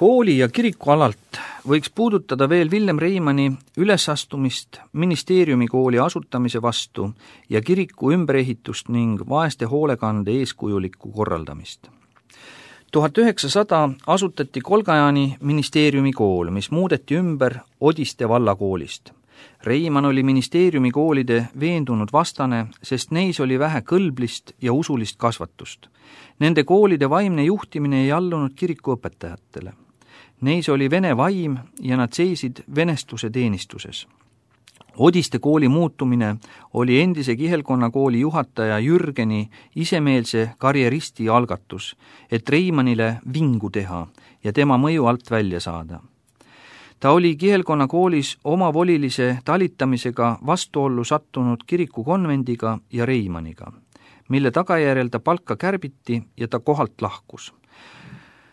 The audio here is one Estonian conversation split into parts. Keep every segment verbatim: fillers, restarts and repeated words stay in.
Kooli ja kiriku alalt võiks puudutada veel Villem Reimanni ülesastumist ministeeriumi kooli asutamise vastu ja kiriku ümberehitust ning vaeste hoolekande eeskujulikku korraldamist. tuhat üheksasada asutati Kolgajani ministeeriumi kool, mis muudeti ümber Odiste vallakoolist. Reimann oli ministeeriumi koolide veendunud vastane, sest neis oli vähe kõlblist ja usulist kasvatust. Nende koolide vaimne juhtimine ei allunud kirikuõpetajatele. Neis oli vene vaim ja nad seisid venestuse teenistuses. Odiste kooli muutumine oli endise Kihelkonna kooli juhataja Jürgeni isemeelse karjeristi algatus, et Reimannile vingu teha ja tema mõju alt välja saada. Ta oli Kihelkonna koolis omavolilise talitamisega vastuollu sattunud kirikukonvendiga ja Reimanniga, mille tagajärjel ta palka kärbiti ja ta kohalt lahkus.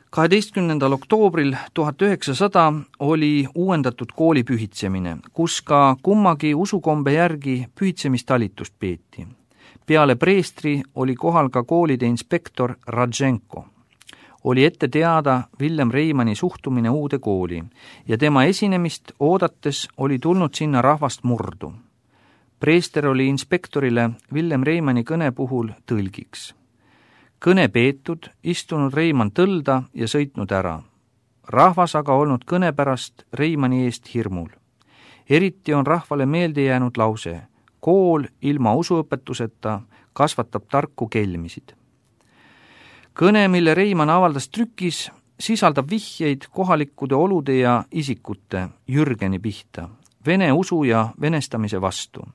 kaheteistkümnendal oktoobril tuhat üheksasada oli uuendatud kooli pühitsemine, kus ka kummagi usukombe järgi pühitsemistalitust peeti. Peale preestri oli kohal ka koolide inspektor Radženko. Oli ette teada Villem Reimanni suhtumine uude kooli ja tema esinemist oodates oli tulnud sinna rahvast murdu. Preester oli inspektorile Villem Reimanni kõne puhul tõlgiks. Kõne peetud, istunud Reimann tõlda ja sõitnud ära. Rahvas aga olnud kõne pärast Reimanni eest hirmul. Eriti on rahvale meelde jäänud lause: kool ilma usuõpetuseta kasvatab tarku kelmisid. Kõne, mille Reimann avaldas trükis, sisaldab vihjeid kohalikude olude ja isikute Jürgeni pihta, vene usu ja venestamise vastu.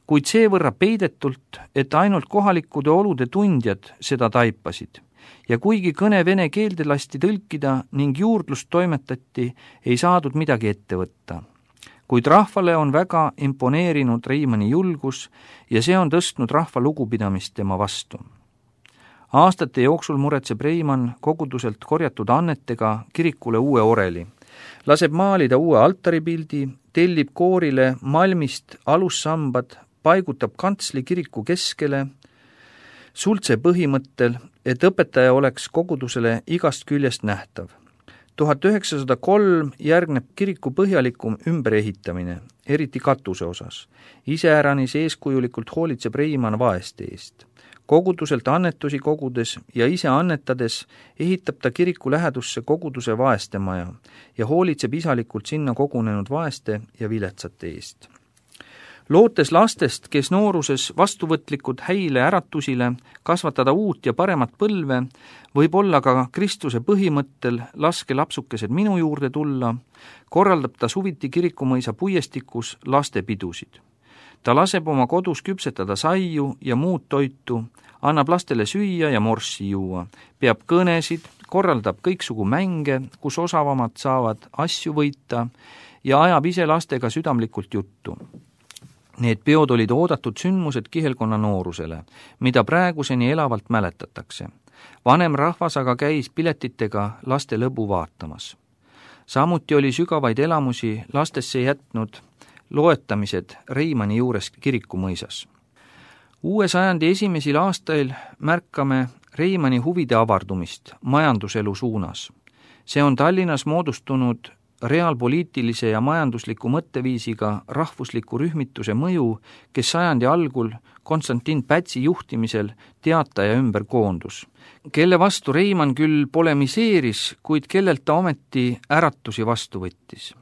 Kuid seevõrra peidetult, et ainult kohalikude olude tundjad seda taipasid. Ja kuigi kõne vene keelde lasti tõlkida ning juurdlust toimetati, ei saadud midagi ette võtta. Kuid rahvale on väga imponeerinud Reimanni julgus ja see on tõstnud rahva lugupidamist tema vastu. Aastate jooksul muretseb Reimann koguduselt korjatud annetega kirikule uue oreli, laseb maalida uue altaripildi, tellib koorile malmist alussambad, paigutab kantsli kiriku keskele, sultse põhimõttel, et õpetaja oleks kogudusele igast küljest nähtav. tuhat üheksasada kolm järgneb kiriku põhjalikum ümberehitamine, eriti katuse osas. Iseäranis eeskujulikult hoolitseb Reimann vaeste eest. Koguduselt annetusi kogudes ja ise annetades ehitab ta kiriku lähedusse koguduse vaeste maja ja hoolitseb isalikult sinna kogunenud vaeste ja viletsate eest. Lootes lastest, kes nooruses vastuvõtlikud häile äratusile, kasvatada uut ja paremat põlve, võib olla ka Kristuse põhimõttel laske lapsukesed minu juurde tulla, korraldab ta suviti kirikumõisa puiestikus lastepidusid. Ta laseb oma kodus küpsetada saiu ja muud toitu, annab lastele süüa ja morssi juua, peab kõnesid, korraldab kõiksugu mänge, kus osavamad saavad asju võita ja ajab ise lastega südamlikult juttu. Need peod olid oodatud sündmused Kihelkonna noorusele, mida praeguseni elavalt mäletatakse. Vanem rahvas aga käis piletitega laste lõbu vaatamas. Samuti oli sügavaid elamusi lastesse jätnud loetamised Reimanni juures kirikumõisas. Uue sajandi esimesel aastail märkame Reimanni huvide avardumist majanduselu suunas. See on Tallinnas moodustunud reaalpoliitilise ja majandusliku mõtteviisiga rahvusliku rühmituse mõju, kes sajandi algul Konstantin Pätsi juhtimisel teataja ümber koondus, kelle vastu Reimann küll polemiseeris, kuid kellelt ta ometi äratusi vastu võttis.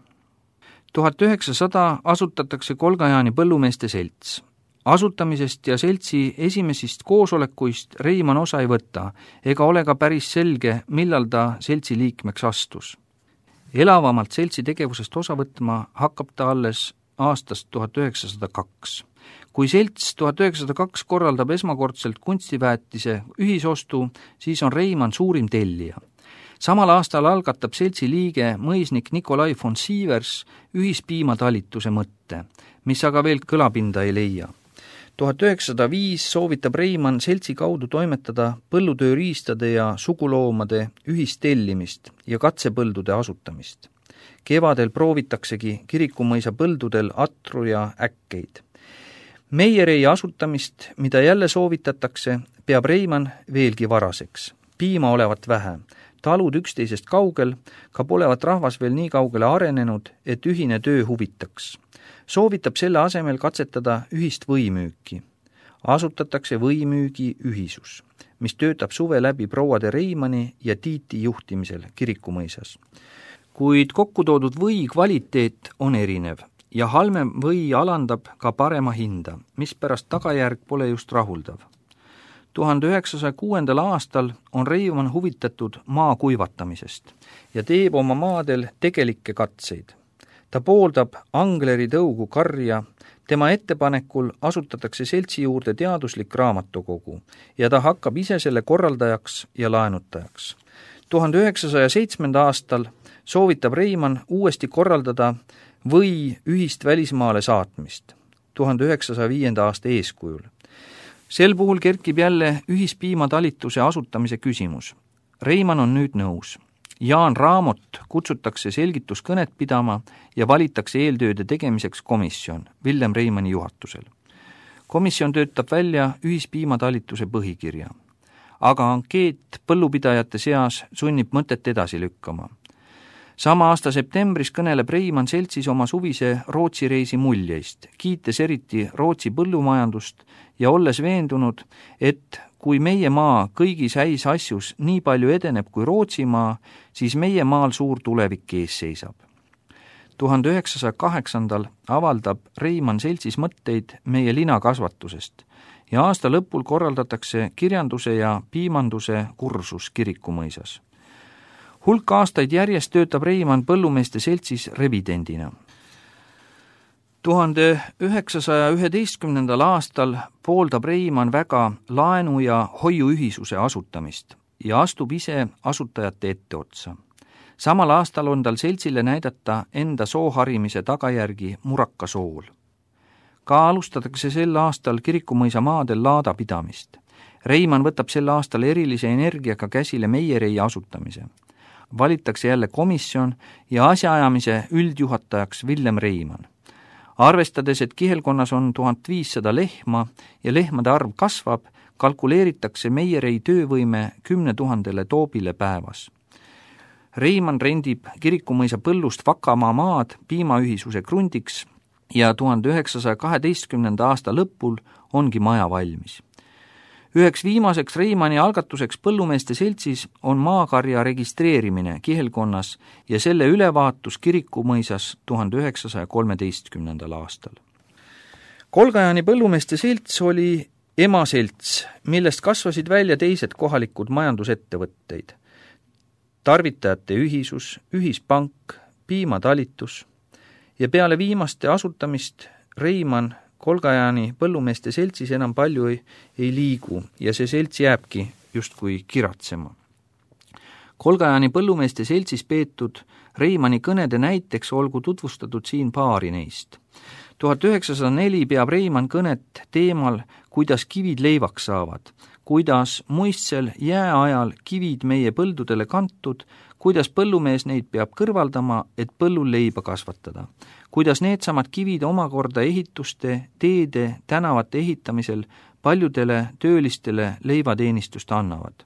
tuhat üheksasada asutatakse Kolgajani põllumeeste selts. Asutamisest ja seltsi esimesist koosolekuist Reimann osa ei võta, ega ole ka päris selge, millal ta seltsi liikmeks astus. Elavamalt seltsi tegevusest osa võtma hakkab ta alles aastast tuhat üheksasada kaks. Kui selts tuhat üheksasada kaks korraldab esmakordselt kunstiväetise ühisostu, siis on Reimann suurim tellija. Samal aastal algatab seltsi liige mõisnik Nikolai von Sievers ühispiimatalituse mõtte, mis aga veel kõlapinda ei leia. tuhat üheksasada viis soovitab Reimann seltsi kaudu toimetada põllutööriistade ja suguloomade ühistellimist ja katsepõldude asutamist. Kevadel proovitaksegi kirikumõisa põldudel atru ja äkkeid. Meierei asutamist, mida jälle soovitatakse, peab Reimann veelgi varaseks. Piima olevat vähe. talud üksteisest kaugel, ka polevat rahvas veel nii kaugele arenenud, et ühine töö huvitaks. Soovitab selle asemel katsetada ühist võimüüki. Asutatakse võimüügi ühisus, mis töötab suve läbi prouade Reimani ja Tiiti juhtimisel kirikumõisas. Kuid kokku toodud või kvaliteet on erinev ja halvem või alandab ka parema hinda, mispärast tagajärg pole just rahuldav. tuhande üheksasaja kuuendal aastal on Reimann huvitatud maa kuivatamisest ja teeb oma maadel tegelikke katseid. Ta pooldab Angleri tõugu karja, tema ettepanekul asutatakse seltsi juurde teaduslik raamatukogu ja ta hakkab ise selle korraldajaks ja laenutajaks. tuhande üheksasaja seitsmenda aastal soovitab Reimann uuesti korraldada või ühist välismaale saatmist tuhande üheksasaja viienda aasta eeskujul. Sel puhul kerkib jälle ühispiimatalituse asutamise küsimus. Reimann on nüüd nõus. Jaan Raamot kutsutakse selgituskõnet pidama ja valitakse eeltööde tegemiseks komisjon Villem Reimanni juhatusel. Komisjon töötab välja ühispiimatalituse põhikirja, aga ankeet põllupidajate seas sunnib mõtet edasi lükkama. Sama aasta septembris kõneleb Reimann seltsis oma suvise Rootsi reisi muljeist, kiites eriti Rootsi põllumajandust ja olles veendunud, et kui meie maa kõigis häis asjus nii palju edeneb kui Rootsimaa, siis meie maal suur tulevik ees seisab. tuhande üheksasaja kaheksandal avaldab Reimann seltsis mõtteid meie linakasvatusest ja aasta lõpul korraldatakse kirjanduse ja piimanduse kursus kirikumõisas. Hulk aastaid järjest töötab Reimann põllumeeste seltsis revidendina. tuhande üheksasaja üheteistkümnendal aastal pooldab Reimann väga laenu- ja hoiuühisuse asutamist ja astub ise asutajate etteotsa. Samal aastal on tal seltsile näidata enda sooharimise tagajärgi Muraka sool. Ka alustatakse sel aastal kirikumõisa maadel laadapidamist. Reimann võtab sel aastal erilise energiaga käsile meierei asutamise. Valitakse jälle komisjon ja asjaajamise üldjuhatajaks Villem Reimann. Arvestades, et kihelkonnas on tuhat viissada lehma ja lehmade arv kasvab, kalkuleeritakse meierei töövõime kümne tuhandele toobile päevas. Reimann rendib kirikumõisa põllust Vakamaa maad piimaühisuse krundiks ja tuhande üheksasaja kaheteistkümnenda aasta lõpul ongi maja valmis. Üheks viimaseks Reimanni algatuseks põllumeeste seltsis on maakarja registreerimine kihelkonnas ja selle ülevaatus kirikumõisas tuhande üheksasaja kolmeteistkümnendal aastal. Kolgajani põllumeeste selts oli emaselts, millest kasvasid välja teised kohalikud majandusettevõtteid. Tarvitajate ühisus, ühispank, piimatalitus ja peale viimaste asutamist Reimann Kolgajani põllumeeste seltsis enam palju ei, ei liigu ja see selts jääbki justkui kiratsema. Kolgajani põllumeeste seltsis peetud Reimanni kõnede näiteks olgu tutvustatud siin paari neist. tuhat üheksasada neli peab Reimann kõnet teemal, kuidas kivid leivaks saavad, kuidas muistsel jääajal kivid meie põldudele kantud, kuidas põllumees neid peab kõrvaldama, et põllul leiba kasvatada, kuidas needsamad kivid omakorda ehituste, teede, tänavate ehitamisel paljudele töölistele leivateenistust annavad.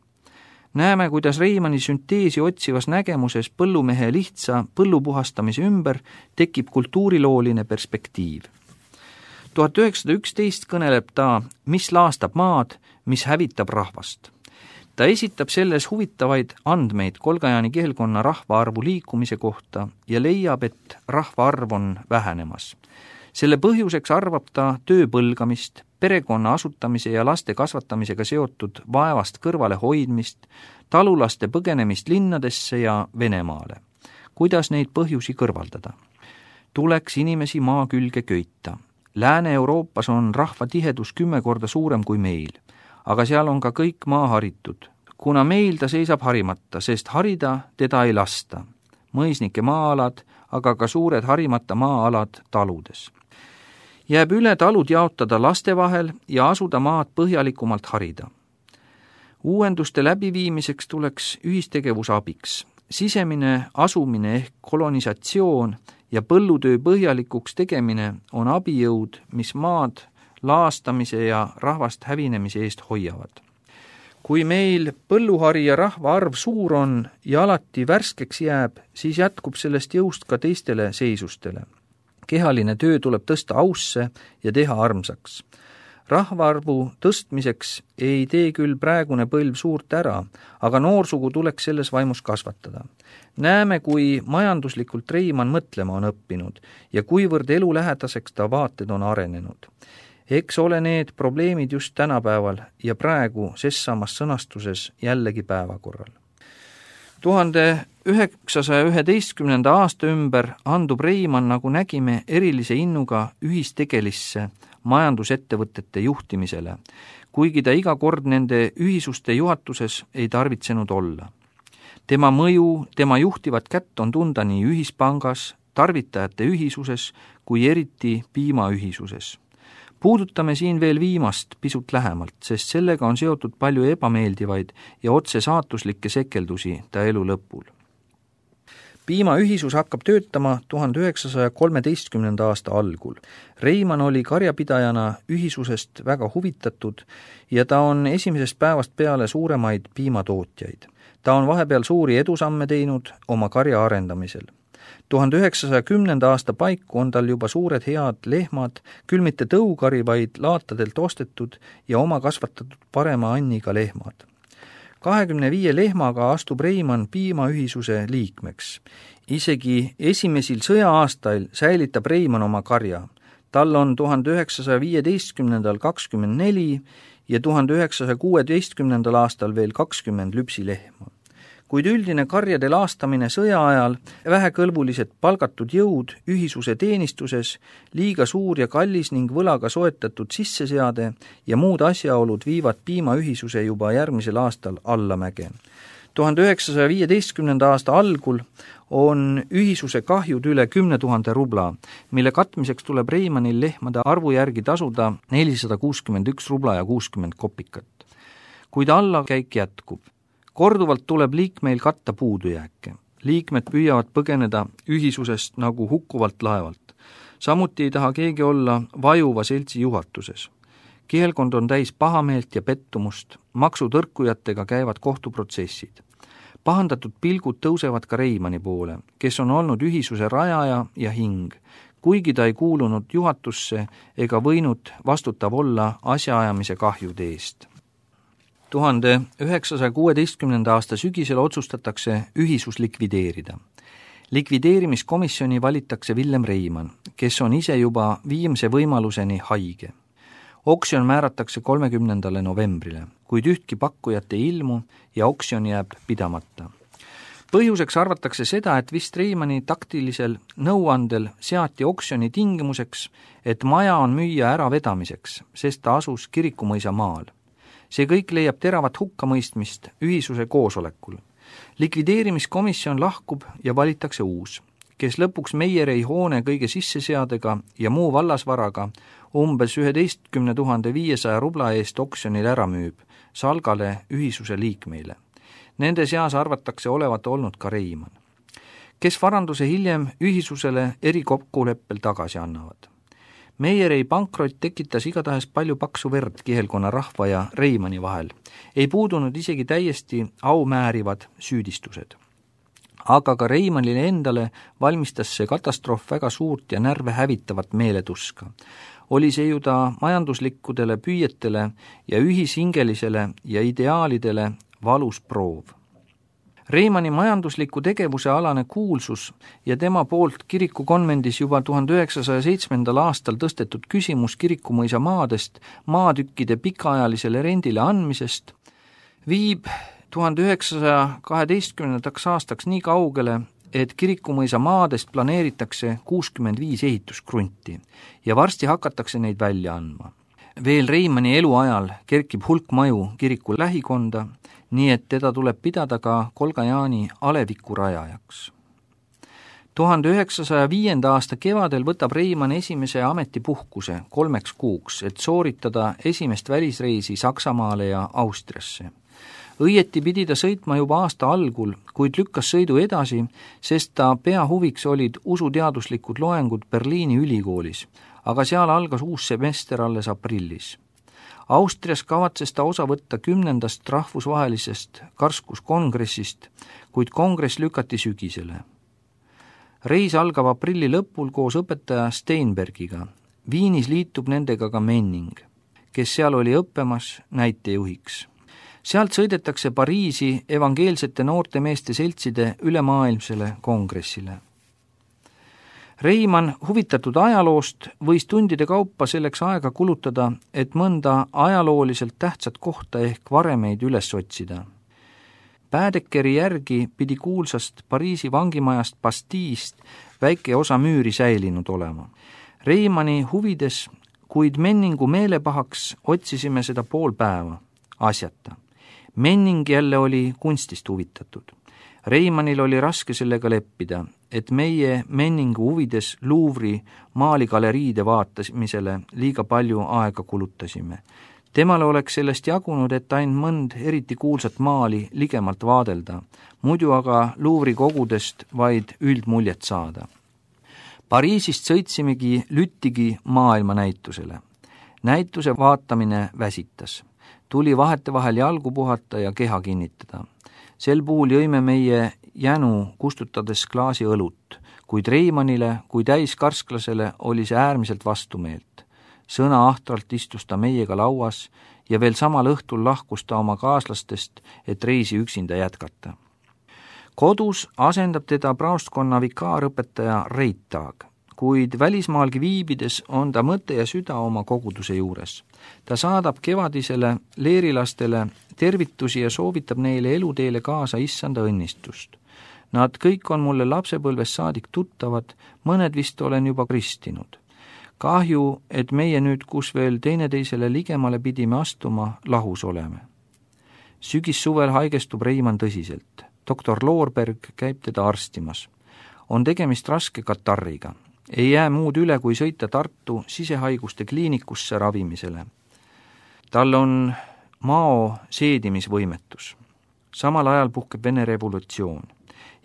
Näeme, kuidas Reimanni sünteesi otsivas nägemuses põllumehe lihtsa põllupuhastamise ümber tekib kultuurilooline perspektiiv. tuhat üheksasada üksteist kõneleb ta, mis laastab maad, mis hävitab rahvast. Ta esitab selles huvitavaid andmeid Kolgajani kihelkonna rahvaarvu liikumise kohta ja leiab, et rahvaarv on vähenemas. Selle põhjuseks arvab ta töö põlgamist, perekonna asutamise ja laste kasvatamisega seotud vaevast kõrvale hoidmist, talulaste põgenemist linnadesse ja Venemaale. Kuidas neid põhjusi kõrvaldada? Tuleks inimesi maa külge köita. Lääne-Euroopas on rahva tihedus kümme korda suurem kui meil, aga seal on ka kõik maa haritud. Kuna meil ta seisab harimata, sest harida teda ei lasta. Mõisnike maa-alad, aga ka suured harimata maa-alad taludes. Jääb üle talud jaotada laste vahel ja asuda maad põhjalikumalt harida. Uuenduste läbiviimiseks tuleks ühistegevus abiks. Sisemine asumine ehk kolonisatsioon ja põllutöö põhjalikuks tegemine on abijõud, mis maad laastamise ja rahvast hävinemise eest hoiavad. kui meil põlluhari ja rahva arv suur on ja alati värskeks jääb, siis jätkub sellest jõust ka teistele seisustele. Kehaline töö tuleb tõsta ausse ja teha armsaks. Rahvaarvu tõstmiseks ei tee küll praegune põlv suurt ära, aga noorsugu tuleks selles vaimus kasvatada. Näeme, kui majanduslikult Reimann mõtlema on õppinud ja kuivõrd elulähedaseks ta vaated on arenenud. Eks ole need probleemid just tänapäeval ja praegu ses samas sõnastuses jällegi päevakorral. tuhande üheksasaja üheteistkümnenda aasta ümber andub Reimann, nagu nägime, erilise innuga ühistegelisse majandusettevõtete juhtimisele, kuigi ta iga kord nende ühisuste juhatuses ei tarvitsenud olla. Tema mõju, tema juhtivat kätt on tunda nii ühispangas, tarvitajate ühisuses kui eriti piimaühisuses. Puudutame siin veel viimast pisut lähemalt, sest sellega on seotud palju ebameeldivaid ja otse saatuslikke sekeldusi ta elu lõpul. Piimaühisus hakkab töötama tuhande üheksasaja kolmeteistkümnenda aasta algul. Reimann oli karjapidajana ühisusest väga huvitatud ja ta on esimesest päevast peale suuremaid piimatootjaid. Ta on vahepeal suuri edusamme teinud oma karja arendamisel. tuhande üheksasaja kümnenda aasta paiku on tal juba suured head lehmad, küll mitte tõukari, vaid laatadelt ostetud ja oma kasvatatud parema anniga lehmad. kahekümne viie lehmaga astub Reimann piimaühisuse liikmeks. Isegi esimesel sõja-aastail säilitab Reimann oma karja. Tal on tuhande üheksasaja viieteistkümnendal kakskümmend neli ja tuhande üheksasaja kuueteistkümnendal aastal veel kakskümmend lüpsilehma. Kuid üldine karjade laastamine sõja ajal, vähekõlbulised palgatud jõud ühisuse teenistuses, liiga suur ja kallis ning võlaga soetatud sisseseade ja muud asjaolud viivad piimaühisuse juba järgmisel aastal allamäge. tuhande üheksasaja viieteistkümnenda aasta algul on ühisuse kahjud üle kümne tuhande rubla, mille katmiseks tuleb Reimannil lehmade arvu järgi tasuda nelisada kuuskümmend üks rubla ja kuuskümmend kopikat. Kuid allakäik jätkub. Korduvalt tuleb liikmeil katta puudujääke. Liikmed püüavad põgeneda ühisusest nagu hukkuvalt laevalt. Samuti ei taha keegi olla vajuva seltsi juhatuses. Kihelkond on täis pahameelt ja pettumust, maksutõrkujatega käivad kohtuprotsessid. Pahandatud pilgud tõusevad ka Reimanni poole, kes on olnud ühisuse rajaja ja hing, kuigi ta ei kuulunud juhatusse ega võinud vastutav olla asjaajamise kahjude eest. tuhande üheksasaja kuueteistkümnenda aasta sügisel otsustatakse ühisus likvideerida. Likvideerimiskomisjoni valitakse Villem Reimann, kes on ise juba viimse võimaluseni haige. Oksjon määratakse kolmekümnendale novembrile, kuid ühtki pakkujat ei ilmu ja oksjon jääb pidamata. Põhjuseks arvatakse seda, et vist Reimanni taktilisel nõuandel seati oksjoni tingimuseks, et maja on müüa ära vedamiseks, sest ta asus Kirikumõisa maal. See kõik leiab teravat hukkamõistmist ühisuse koosolekul. Likvideerimiskomisjon lahkub ja valitakse uus, kes lõpuks Meierei hoone kõige sisseseadega ja muu vallasvaraga umbes üheteistkümne tuhande viiesaja rubla eest oksjonil ära müüb, Salgale ühisuse liikmeile. Nende seas arvatakse olevat olnud ka Reimann, kes varanduse hiljem ühisusele erikokkuleppel tagasi annavad. Meierei pankrot tekitas igatahes palju paksu verd kihelkonna rahva ja Reimanni vahel. Ei puudunud isegi täiesti aumäärivad süüdistused. Aga ka Reimannile endale valmistas see katastroof väga suurt ja närve hävitavat meeletuska. Oli see ju ta majanduslikkudele püüetele ja ühishingelisele ja ideaalidele valus proov. Reimanni majandusliku tegevuse alane kuulsus ja tema poolt kirikukonvendis juba tuhande üheksasaja seitsmendal aastal tõstetud küsimus Kirikumõisa maadest maatükkide pikaajalisele rendile andmisest viib tuhande üheksasaja kaheteistkümnendaks aastaks nii kaugele, et Kirikumõisa maadest planeeritakse kuuskümmend viis ehituskrunti ja varsti hakatakse neid välja andma. Veel Reimanni eluajal kerkib hulk maju kiriku lähikonda, nii et teda tuleb pidada ka Kolga-Jaani aleviku rajajaks. tuhande üheksasaja viienda aasta kevadel võtab Reimann esimese ametipuhkuse kolmeks kuuks, et sooritada esimest välisreisi Saksamaale ja Austriasse. Õieti pidi ta sõitma juba aasta algul, kuid lükkas sõidu edasi, sest ta peahuviks olid usuteaduslikud loengud Berliini ülikoolis, aga seal algas uus semester alles aprillis. Austrias kavatses ta osa võtta kümnendast rahvusvahelisest karskuskongressist, kuid kongress lükati sügisele. Reis algab aprilli lõpul koos õpetaja Steinbergiga. Viinis liitub nendega ka Menning, kes seal oli õppemas näitejuhiks. Sealt sõidetakse Pariisi evangeelsete noortemeeste seltside ülemaailmsele kongressile. Reimann, huvitatud ajaloost, võis tundide kaupa selleks aega kulutada, et mõnda ajalooliselt tähtsat kohta ehk varemeid üles otsida. Päädekeri järgi pidi kuulsast Pariisi vangimajast Bastiist väike osa müüri säilinud olema. Reimanni huvides, kuid Menningu meelepahaks otsisime seda pool päeva, asjata. Menning jälle oli kunstist huvitatud. Reimannil oli raske sellega leppida, et meie Menningu huvides Louvre'i maaligaleriide vaatamisele liiga palju aega kulutasime. Temale oleks sellest jagunud, et ainult mõnd eriti kuulsat maali ligemalt vaadelda, muidu aga Louvre'i kogudest vaid üldmuljet saada. Pariisist sõitsimegi Lüttigi maailmanäitusele. Näituse vaatamine väsitas. Tuli vahetevahel jalgu puhata ja keha kinnitada. Sel puhul jõime meie jänu kustutades klaasi õlut, kuid Reimannile kui täiskarsklasele oli see äärmiselt vastumeelt. Sõna ahtralt istus ta meiega lauas ja veel samal õhtul lahkus ta oma kaaslastest, et reisi üksinda jätkata. Kodus asendab teda praostkonna vikaarõpetaja Reitag, kuid välismaalgi viibides on ta mõte ja süda oma koguduse juures. Ta saadab kevadisele leerilastele tervitusi ja soovitab neile eluteele kaasa issanda õnnistust. Nad kõik on mulle lapsepõlves saadik tuttavad, mõned vist olen juba kristinud. Kahju, et meie nüüd, kus veel teineteisele ligemale pidime astuma, lahus oleme. Sügis-suvel haigestub Reimann tõsiselt. Doktor Loorberg käib teda arstimas. On tegemist raske katarriga. Ei jää muud üle, kui sõita Tartu sisehaiguste kliinikusse ravimisele. Tal on mao seedimisvõimetus. Samal ajal puhkeb Vene revolutsioon.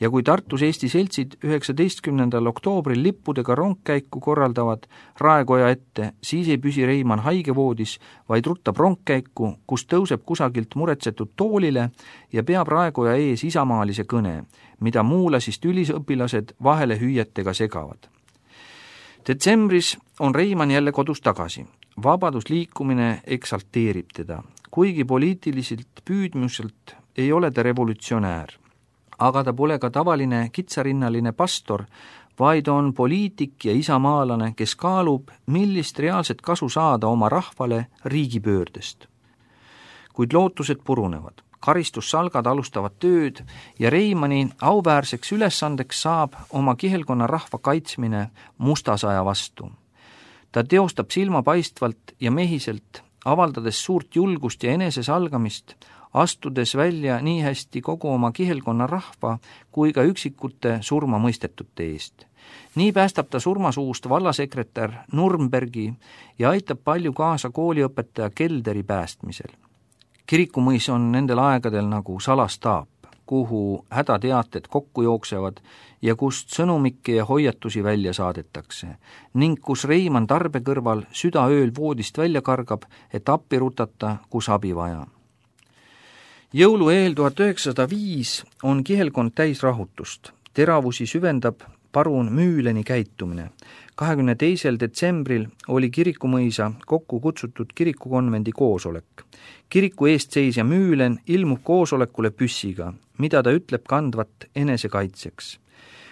Ja kui Tartus Eesti seltsid üheksateistkümnendal oktoobril lippudega rongkäiku korraldavad Raekoja ette, siis ei püsi Reimann haigevoodis, vaid ruttab rongkäiku, kus tõuseb kusagilt muretsetud toolile ja peab Raekoja ees isamaalise kõne, mida muulasist ülisõpilased vahele hüüetega segavad. Detsembris on Reimann jälle kodus tagasi. Vabadusliikumine eksalteerib teda, kuigi poliitiliselt püüdmuselt ei ole ta revolutsionäär. Aga ta pole ka tavaline kitsarinnaline pastor, vaid on poliitik ja isamaalane, kes kaalub, millist reaalset kasu saada oma rahvale riigipöördest. Kuid lootused purunevad. Karistussalgad alustavad tööd ja Reimanni auväärseks ülesandeks saab oma kihelkonna rahva kaitsmine mustasaja vastu. Ta teostab silmapaistvalt ja mehiselt, avaldades suurt julgust ja enesesalgamist, astudes välja nii hästi kogu oma kihelkonna rahva kui ka üksikute surma mõistetute eest. Nii päästab ta surmasuust vallasekretär Nürnbergi ja aitab palju kaasa kooliõpetaja Kelderi päästmisel. Kirikumõis on nendel aegadel nagu salastaap, kuhu hädateated kokku jooksevad ja kust sõnumikke ja hoiatusi välja saadetakse, ning kus Reimann tarbe kõrval südaööl voodist välja kargab, et appi rutata, kus abi vaja. Jõulu eel tuhat üheksasada viis on kihelkond täis rahutust. Teravusi süvendab parun Müüleni käitumine. kahekümne teisel detsembril oli Kirikumõisa kokku kutsutud kirikukonvendi koosolek. Kiriku eestseisja Müülen ilmub koosolekule püssiga, mida ta ütleb kandvat enesekaitseks.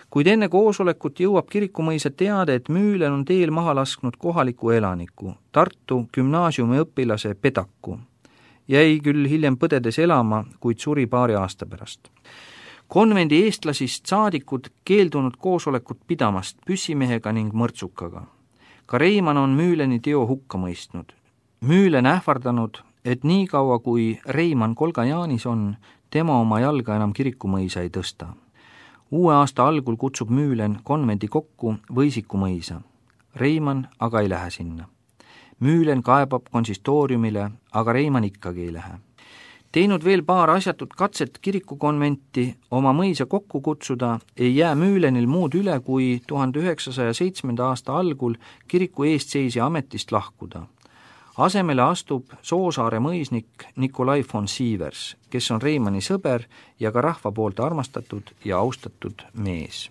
Kuid enne koosolekut jõuab Kirikumõisa teade, et Müülen on teel maha lasknud kohaliku elaniku, Tartu gümnaasiumi õpilase Pedaku. Jäi küll hiljem põdedes elama, kuid suri paari aasta pärast. Konvendi eestlasist saadikud keeldunud koosolekut pidamast püssimehega ning mõrtsukaga. Ka Reimann on Müüleni teo hukka mõistnud. Müülen ähvardanud, et nii kaua kui Reimann Kolgajaanis on, tema oma jalga enam Kirikumõisa ei tõsta. Uue aasta algul kutsub Müülen konvendi kokku Võisikumõisa. Reimann aga ei lähe sinna. Müülen kaebab konsistooriumile, aga Reimann ikkagi ei lähe. Teinud veel paar asjatut katset kirikukonventi oma mõisa kokku kutsuda, ei jää Müülenil muud üle kui tuhande üheksasaja seitsmenda aasta algul kiriku eestseisja ametist lahkuda. asemele astub Soosaare mõisnik Nikolai von Sievers, kes on Reimanni sõber ja ka rahva poolt armastatud ja austatud mees.